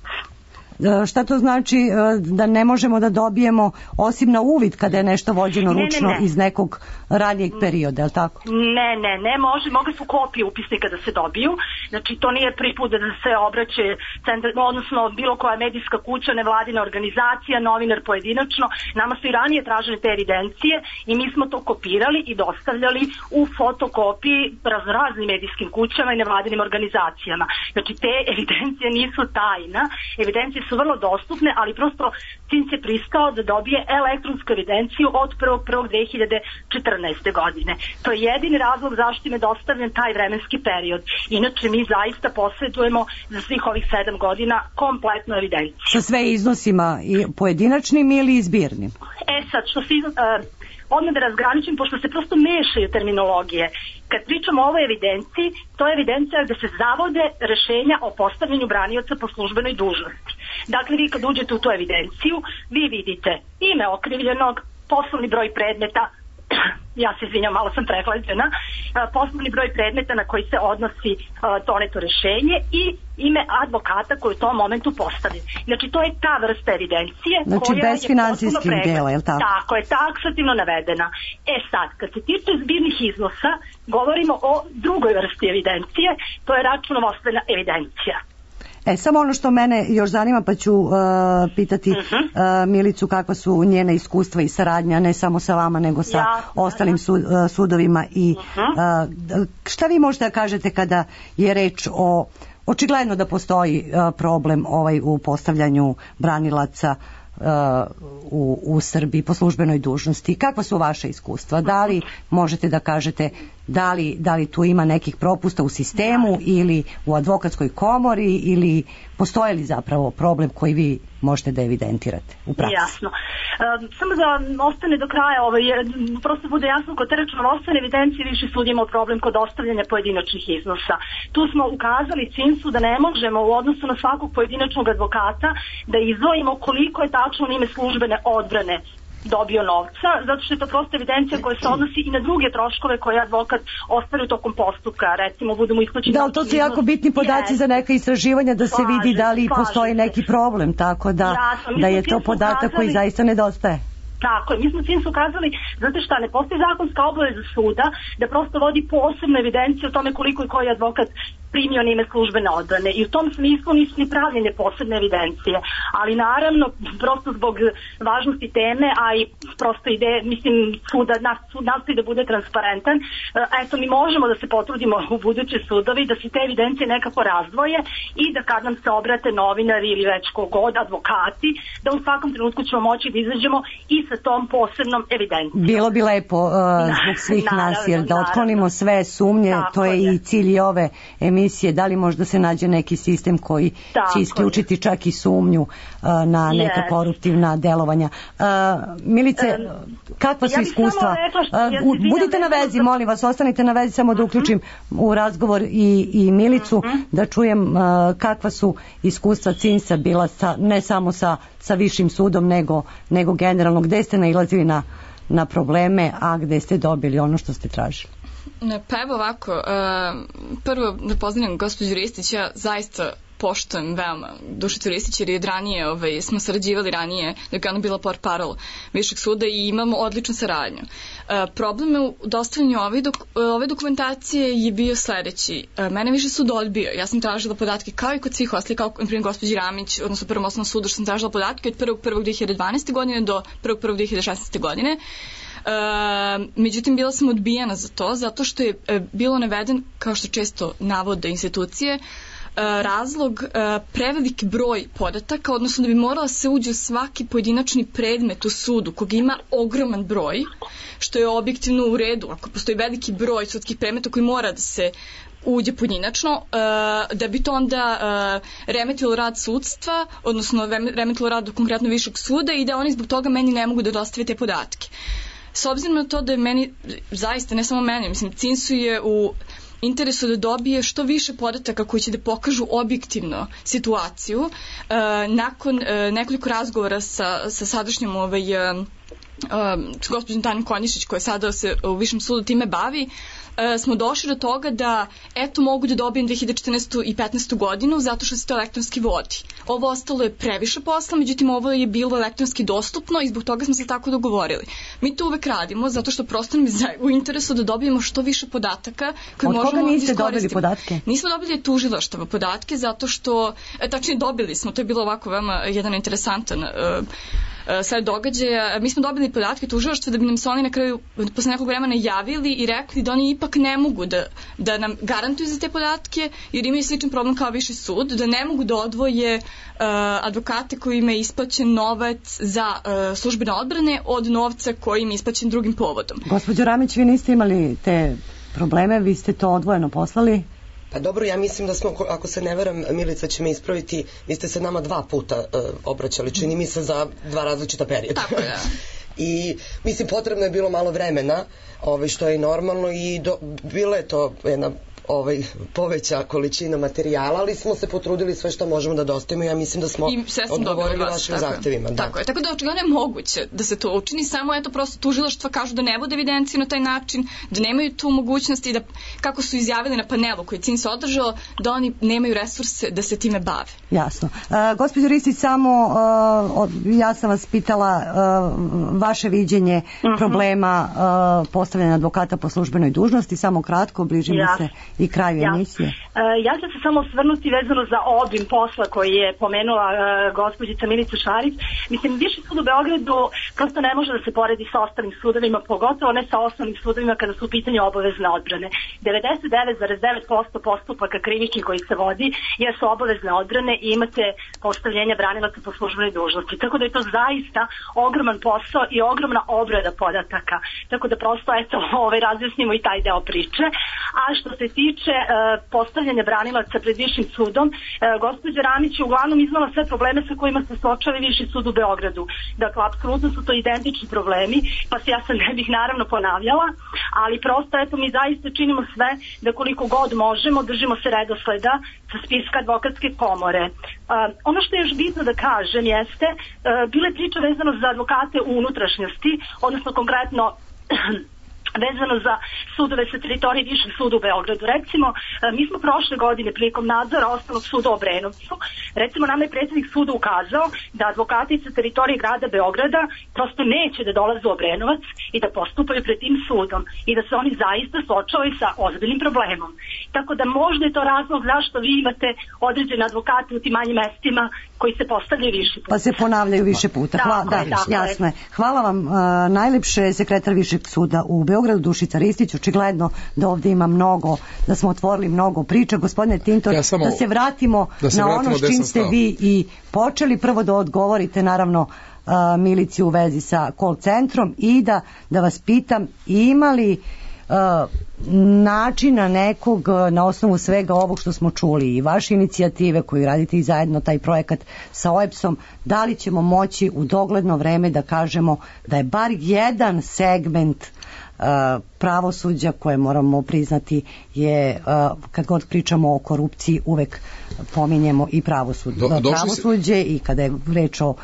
Šta to znači da ne možemo da dobijemo osim na uvid kada je nešto vođeno ručno iz nekog ranijeg perioda, je li tako? Ne, mogu su kopije upisnika da se dobiju, znači to nije prvi put da se obraće centar, odnosno bilo koja medijska kuća, nevladina organizacija, novinar pojedinačno, nama su i ranije tražene te evidencije i mi smo to kopirali i dostavljali u fotokopiji raznim medijskim kućama i nevladinim organizacijama. Znači te evidencije nisu tajna, evidencije su vrlo dostupne, ali prosto CINS je pristao da dobije elektronsku evidenciju od 1.1.2014. godine. To je jedini razlog zašto im je dostavljen taj vremenski period. Inače mi zaista posjedujemo za svih ovih 7 godina kompletnu evidenciju. Sa sve iznosima i pojedinačnim ili izbirnim? Sad, što se odmah da razgraničim, pošto se prosto mešaju terminologije. Kad pričamo o ovoj evidenciji, to je evidencija da se zavode rešenja o postavljanju branioca po službenoj dužnosti. Dakle, vi kad uđete u tu evidenciju, vi vidite ime okrivljenog, poslovni broj predmeta, ja se izvinjam, malo sam prehlađena, poslovni broj predmeta na koji se odnosi doneto rešenje i ime advokata koji u tom momentu postavlja. Znači, to je ta vrsta evidencije znači, koja bez je finansijskih dela, je li tako? Tako je, taksativno navedena. Sad, kad se tiče zbirnih iznosa, govorimo o drugoj vrsti evidencije, to je računovodstvena evidencija. Samo ono što mene još zanima, pa ću pitati Milicu kakva su njene iskustva i saradnja, ne samo sa vama, nego sa ostalim sudovima. I šta vi možete da kažete kada je reč o, očigledno da postoji problem u postavljanju branilaca u Srbiji po službenoj dužnosti. Kakva su vaše iskustva? Da li možete da kažete da li tu ima nekih propusta u sistemu ili u advokatskoj komori ili postoji li zapravo problem koji vi možete da evidentirate u praksi? Jasno. Samo da ostane do kraja, prosto bude jasno, kod te računovodstvene evidencije više sud imao problem kod ostavljanja pojedinačnih iznosa. Tu smo ukazali CINS-u da ne možemo u odnosu na svakog pojedinačnog advokata da izdvojimo koliko je tačno ime službene odbrane dobio novca, zato što je to prosto evidencija koja se odnosi i na druge troškove koje advokat ostvari tokom postupka, recimo budu mu isplaćeni. Da, to su jako bitni podaci za neka istraživanja da se vidi da li postoji neki problem, tako da je to podatak koji zaista nedostaje. Tako je, mi smo CINS ukazali, znate šta, ne postoji zakonska obaveza suda da prosto vodi posebnu evidenciju o tome koliko i koji advokat primio na ime službene odbrane i u tom smislu nisu ni pravljene posebne evidencije, ali naravno prosto zbog važnosti teme, a i prosto ide, mislim, sud nastoji da bude transparentan, eto mi možemo da se potrudimo u buduće sudovi da se te evidencije nekako razdvoje i da kad nam se obrate novinari ili već kogod, advokati, da u svakom trenutku ćemo moći da izađemo i sa tom posebnom evidencijom. Bilo bi lepo zbog svih nas, jer da otklonimo sve sumnje, to je i cilj i ove emisije, da li možda se nađe neki sistem koji će isključiti čak i sumnju na neka koruptivna delovanja. Milice, kakva su iskustva? Budite na vezi, molim vas, ostanite na vezi, samo da uključim u razgovor i Milicu, da čujem kakva su iskustva CINS-a bila ne samo sa višim sudom, nego generalno, gde ste nailazili na probleme, a gde ste dobili ono što ste tražili? Pa evo ovako, prvo da pozdravim gospođu Ristić, ja zaista poštujem veoma Dušicu Ristić jer je od ranije, smo sarađivali ranije dok je ona bila portparol Višeg suda i imamo odličnu saradnju. Problem u dostavljanju ove dokumentacije je bio sledeći. Mene Viši sud odbio. Ja sam tražila podatke kao i kod svih ostalih, kao na primjer gospođi Ramić, odnosno Prvom osnovnom sudu, što sam tražila podatke od 1.1.2012. godine do 1.1.2016. godine. Međutim, bila sam odbijena za to, zato što je bilo naveden, kao što često navode institucije, razlog preveliki broj podataka, odnosno da bi morala se uđe u svaki pojedinačni predmet u sudu, koga ima ogroman broj, što je objektivno u redu, ako postoji veliki broj sudskih predmeta koji mora da se uđe pojedinačno, da bi to onda remetilo rad sudstva, odnosno remetilo rad konkretno Višeg suda i da oni zbog toga meni ne mogu da dostave te podatke. S obzirom na to da je meni, zaista, ne samo meni, mislim, CINS-u je u interesu da dobije što više podataka koji će da pokažu objektivno situaciju. Nakon nekoliko razgovora sa sadašnjom s gospođom Tanjom Konjišić, koja sada se u Višem sudu time bavi, smo došli do toga da eto mogu da dobijem 2014. i 15. godinu zato što se to elektronski vodi. Ovo ostalo je previše posla, međutim ovo je bilo elektronski dostupno i zbog toga smo se tako dogovorili. Mi to uvek radimo zato što prosto nam je u interesu da dobijemo što više podataka koje možemo da iskoristimo. Od koga niste dobili podatke? Nismo dobili tužilaštava podatke zato što, tačnije dobili smo, to je bilo ovako veoma jedan interesantan sad događaja. Mi smo dobili podatke tužilaštva da bi nam se oni na kraju posle nekog vremena javili i rekli da oni ipak ne mogu da nam garantuju za te podatke jer imaju sličan problem kao Viši sud, da ne mogu da odvoje advokate kojima je isplaćen novac za službene odbrane od novca koji im je isplaćen drugim povodom. Gospođo Ramić, vi niste imali te probleme, vi ste to odvojeno poslali? Pa dobro, ja mislim da smo, ako se ne veram, Milica će me ispraviti, vi ste se nama 2 puta obraćali, čini mi se za 2 različita perioda. Tako je. I mislim, potrebno je bilo malo vremena, što je i normalno i bila je to jedna poveća količina materijala, ali smo se potrudili sve što možemo da dostavimo i ja mislim da smo odgovorili vašim zahtevima. Tako je, tako da očigledno je moguće da se to učini, samo eto prosto tužilaštva kažu da ne vode evidenciju na taj način, da nemaju tu mogućnost i da, kako su izjavili na panelu koji CIN se održao, da oni nemaju resurse da se time bave. Jasno. Gospođo Ristić, samo ja sam vas pitala vaše viđenje problema postavljanja advokata po službenoj dužnosti, samo kratko, bližimo se i kraju emisije. Ja ću se samo osvrnuti vezano za obim posla koji je pomenula gospođica Milica Šarić. Mislim, Viši sud u Beogradu prosto ne može da se poredi sa ostalim sudovima, pogotovo ne sa osnovnim sudovima kada su u pitanju obavezne odbrane. 99,9% postupaka krivičnih koji se vodi jesu obavezne odbrane i imate postavljenja branilaca po službenoj dužnosti. Tako da je to zaista ogroman posao i ogromna obrada podataka. Tako da prosto razjasnimo i taj deo priče. A što se tiče postavljanja branilaca pred Višim sudom, gospođa Ramić je uglavnom iznala sve probleme sa kojima se suočava Viši sud u Beogradu. Dakle, apsolutno su to identični problemi, pa se ja sad ne bih naravno ponavljala, ali prosto mi zaista činimo sve da koliko god možemo držimo se redosleda sa spiska advokatske komore. Ono što je još bitno da kažem jeste, bile priče vezano za advokate u unutrašnjosti, odnosno konkretno vezano za sudove sa teritorije Višeg suda u Beogradu. Recimo, mi smo prošle godine prilikom nadzora Osnovnog suda u Obrenovcu, recimo nam je predsjednik suda ukazao da advokati sa teritorije grada Beograda prosto neće da dolaze u Obrenovac i da postupaju pred tim sudom i da se oni zaista suočavaju sa ozbiljnim problemom. Tako da možda je to razlog zašto vi imate određene advokate u tim manjim mestima koji se postavljaju više puta. Pa se ponavljaju više puta. Jasno je. Hvala vam najlepše, sekretar Višeg suda u Beogradu, Dušica Ristić. Očigledno da ovdje ima mnogo, da smo otvorili mnogo priča. Gospodine Tintor, da se vratimo na ono s čim ste vi i počeli. Prvo da odgovorite naravno Milici u vezi sa call centrom i da vas pitam, ima li načina nekog na osnovu svega ovog što smo čuli i vaše inicijative koju radite i zajedno taj projekat sa OEBS-om, da li ćemo moći u dogledno vreme da kažemo da je bar jedan segment pravosuđa koje moramo priznati je, kad god pričamo o korupciji, uvek pominjemo i pravosuđe i kada je reč o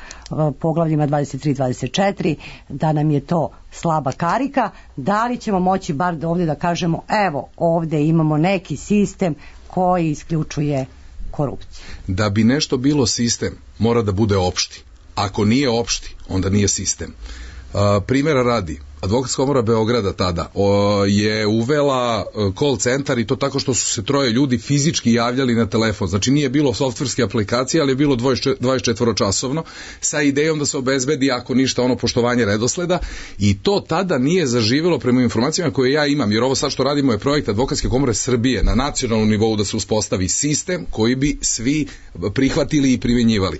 poglavljima 23-24, da nam je to slaba karika. Da li ćemo moći bar ovdje da kažemo, evo ovdje imamo neki sistem koji isključuje korupciju? Da bi nešto bilo sistem, mora da bude opšti. Ako nije opšti, onda nije sistem. Primjera radi, Advokatska komora Beograda tada je uvela call centar i to tako što su se 3 ljudi fizički javljali na telefon. Znači nije bilo softverske aplikacije, ali je bilo 24-časovno sa idejom da se obezbedi ako ništa poštovanje redosleda i to tada nije zaživjelo prema informacijama koje ja imam, jer ovo sad što radimo je projekt Advokatske komore Srbije na nacionalnom nivou da se uspostavi sistem koji bi svi prihvatili i primjenjivali.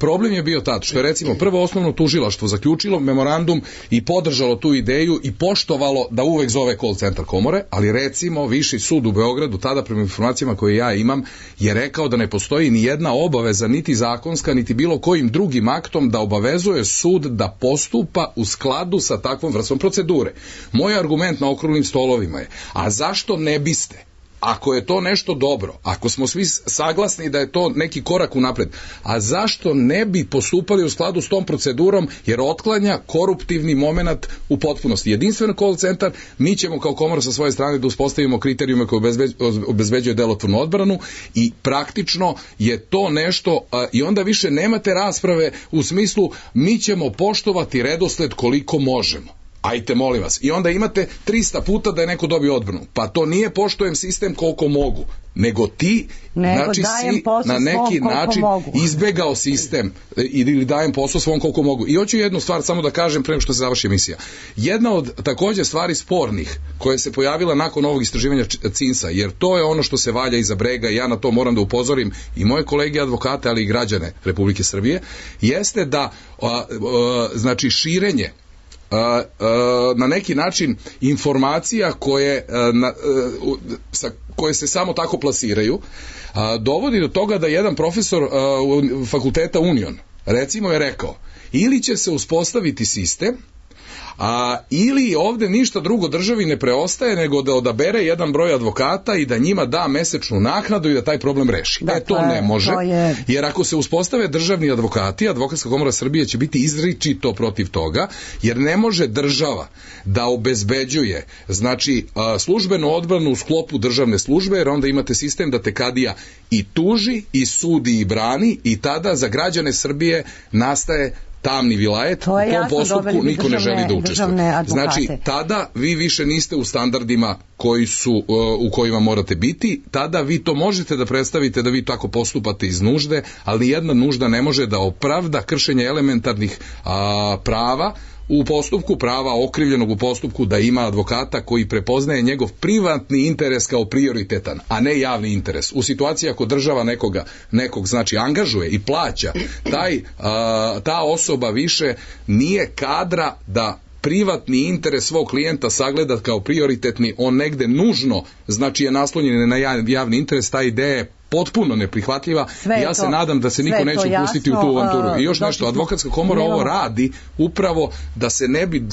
Problem je bio tad što je recimo prvo osnovno tužilaštvo zaključilo memorandum i podržalo tu ideju i poštovalo da uvek zove call centar komore, ali recimo Viši sud u Beogradu tada prema informacijama koje ja imam je rekao da ne postoji ni jedna obaveza niti zakonska niti bilo kojim drugim aktom da obavezuje sud da postupa u skladu sa takvom vrstom procedure. Moj argument na okruglim stolovima je, a zašto ne biste ako je to nešto dobro, ako smo svi saglasni da je to neki korak unapred, a zašto ne bi postupali u skladu s tom procedurom, jer otklanja koruptivni moment u potpunosti. Jedinstven call centar, mi ćemo kao komora sa svoje strane da uspostavimo kriterijume koje obezbeđuje delotvornu odbranu i praktično je to nešto, i onda više nemate rasprave u smislu mi ćemo poštovati redosled koliko možemo. Ajte, molim vas. I onda imate 300 puta da je neko dobio odbranu. Pa to nije poštujem sistem koliko mogu, nego ti, znači si na neki način izbegao sistem ili dajem posao svom koliko mogu. I hoću jednu stvar samo da kažem pre nego što se završi emisija. Jedna od takođe stvari spornih koja se pojavila nakon ovog istraživanja CINS-a, jer to je ono što se valja iza brega i ja na to moram da upozorim i moje kolege advokate, ali i građane Republike Srbije, jeste da znači širenje na neki način informacija koje se samo tako plasiraju dovodi do toga da jedan profesor fakulteta Union recimo je rekao ili će se uspostaviti sistem ili ovde ništa drugo državi ne preostaje nego da odabere jedan broj advokata i da njima da mesečnu naknadu i da taj problem reši. To ne može, jer ako se uspostave državni advokati, Advokatska komora Srbije će biti izričito protiv toga, jer ne može država da obezbeđuje znači službenu odbranu u sklopu državne službe, jer onda imate sistem da te kadija i tuži, i sudi, i brani, i tada za građane Srbije nastaje tamni vilajet, u tom postupku niko ne želi da učestvuje. Znači, tada vi više niste u standardima u kojima morate biti, tada vi to možete da predstavite da vi tako postupate iz nužde, ali jedna nužda ne može da opravda kršenje elementarnih prava u postupku, prava okrivljenog u postupku da ima advokata koji prepoznaje njegov privatni interes kao prioritetan, a ne javni interes. U situaciji ako država nekog znači angažuje i plaća, ta osoba više nije kadra da privatni interes svog klijenta sagleda kao prioritetni, on negde nužno znači je naslonjen na javni interes, ta ideja je potpuno neprihvatljiva i ja se nadam da se niko neće upustiti u tu avanturu. I još nešto, Advokatska komora ovo radi upravo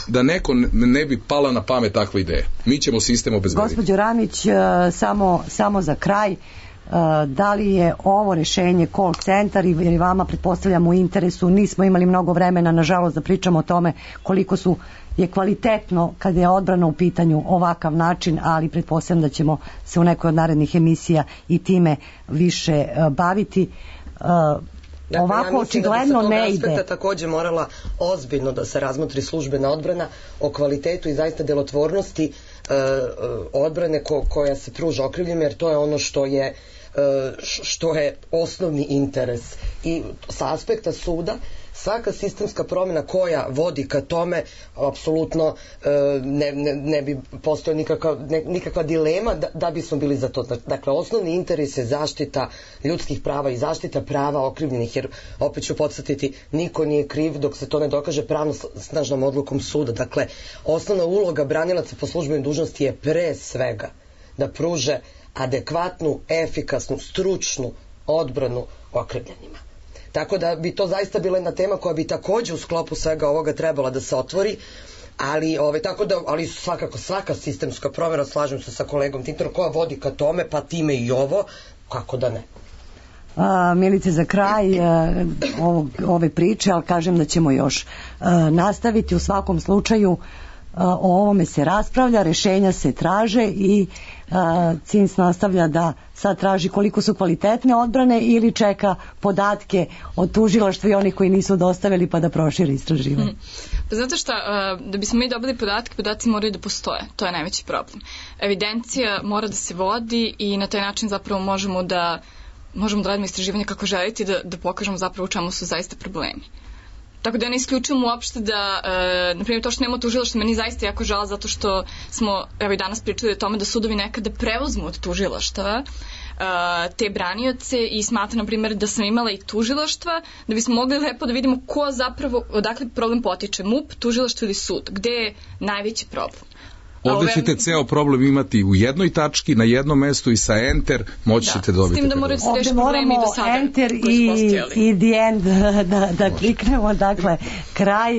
da neko ne bi pala na pamet takva ideja. Mi ćemo sistem obezbediti. Gospođo Ramić, samo za kraj, da li je ovo rešenje call centar i vama pretpostavljam u interesu, nismo imali mnogo vremena nažalost da pričamo o tome koliko je kvalitetno kad je odbrana u pitanju ovakav način, ali pretpostavljam da ćemo se u nekoj od narednih emisija i time više baviti. Ovako očigledno ne ide. Ja mislim da bi sa tog aspekta takođe morala ozbiljno da se razmotri službena odbrana o kvalitetu i zaista delotvornosti odbrane koja se pruža okrivljenima, jer to je ono što je osnovni interes. I sa aspekta suda svaka sistemska promjena koja vodi ka tome apsolutno ne bi postojala nikakva dilema da bismo bili za to. Dakle, osnovni interes je zaštita ljudskih prava i zaštita prava okrivljenih, jer opet ću podsjetiti, niko nije kriv dok se to ne dokaže pravno snažnom odlukom suda. Dakle, osnovna uloga branilaca po službenoj dužnosti je pre svega da pruže adekvatnu, efikasnu, stručnu odbranu okrivljenima. Tako da bi to zaista bila jedna tema koja bi takođe u sklopu svega ovoga trebala da se otvori, ali svakako svaka sistemska promjena, slažem se sa kolegom Tintorom, koja vodi ka tome, pa time i ovo, kako da ne. Milice, za kraj ove priče, ali kažem da ćemo još nastaviti. U svakom slučaju o ovome se raspravlja, rešenja se traže i CINS nastavlja da sad traži koliko su kvalitetne odbrane ili čeka podatke od tužilaštva i onih koji nisu dostavili pa da proširi istraživanje. Pa znate šta, da bismo mi dobili podatke, podaci moraju da postoje. To je najveći problem. Evidencija mora da se vodi i na taj način zapravo možemo da radimo istraživanje kako želite da pokažemo zapravo u čemu su zaista problemi. Tako da ja ne isključujem uopšte da, na primjer, to što nema tužilaštva, meni zaista jako žao zato što smo, evo i danas pričali o tome da sudovi nekada preuzmu od tužilaštava te branioce i smatram, na primjer, da sam imala i tužilaštva, da bismo mogli lepo da vidimo ko zapravo, odakle problem potiče, MUP, tužilaštvo ili sud, gde je najveći problem. Ovde ćete ceo problem imati u jednoj tački, na jednom mestu i sa enter moći ćete dobiti. S tim da morate se reši problemi do sada. Enter i the end da kliknemo. Dakle, kraj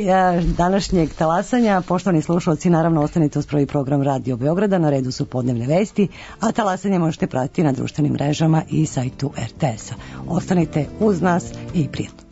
današnjeg talasanja. Poštovani slušalci, naravno ostanite uz prvi program Radio Beograda. Na redu su podnevne vesti, a talasanje možete pratiti na društvenim mrežama i sajtu RTS-a. Ostanite uz nas i prijatno.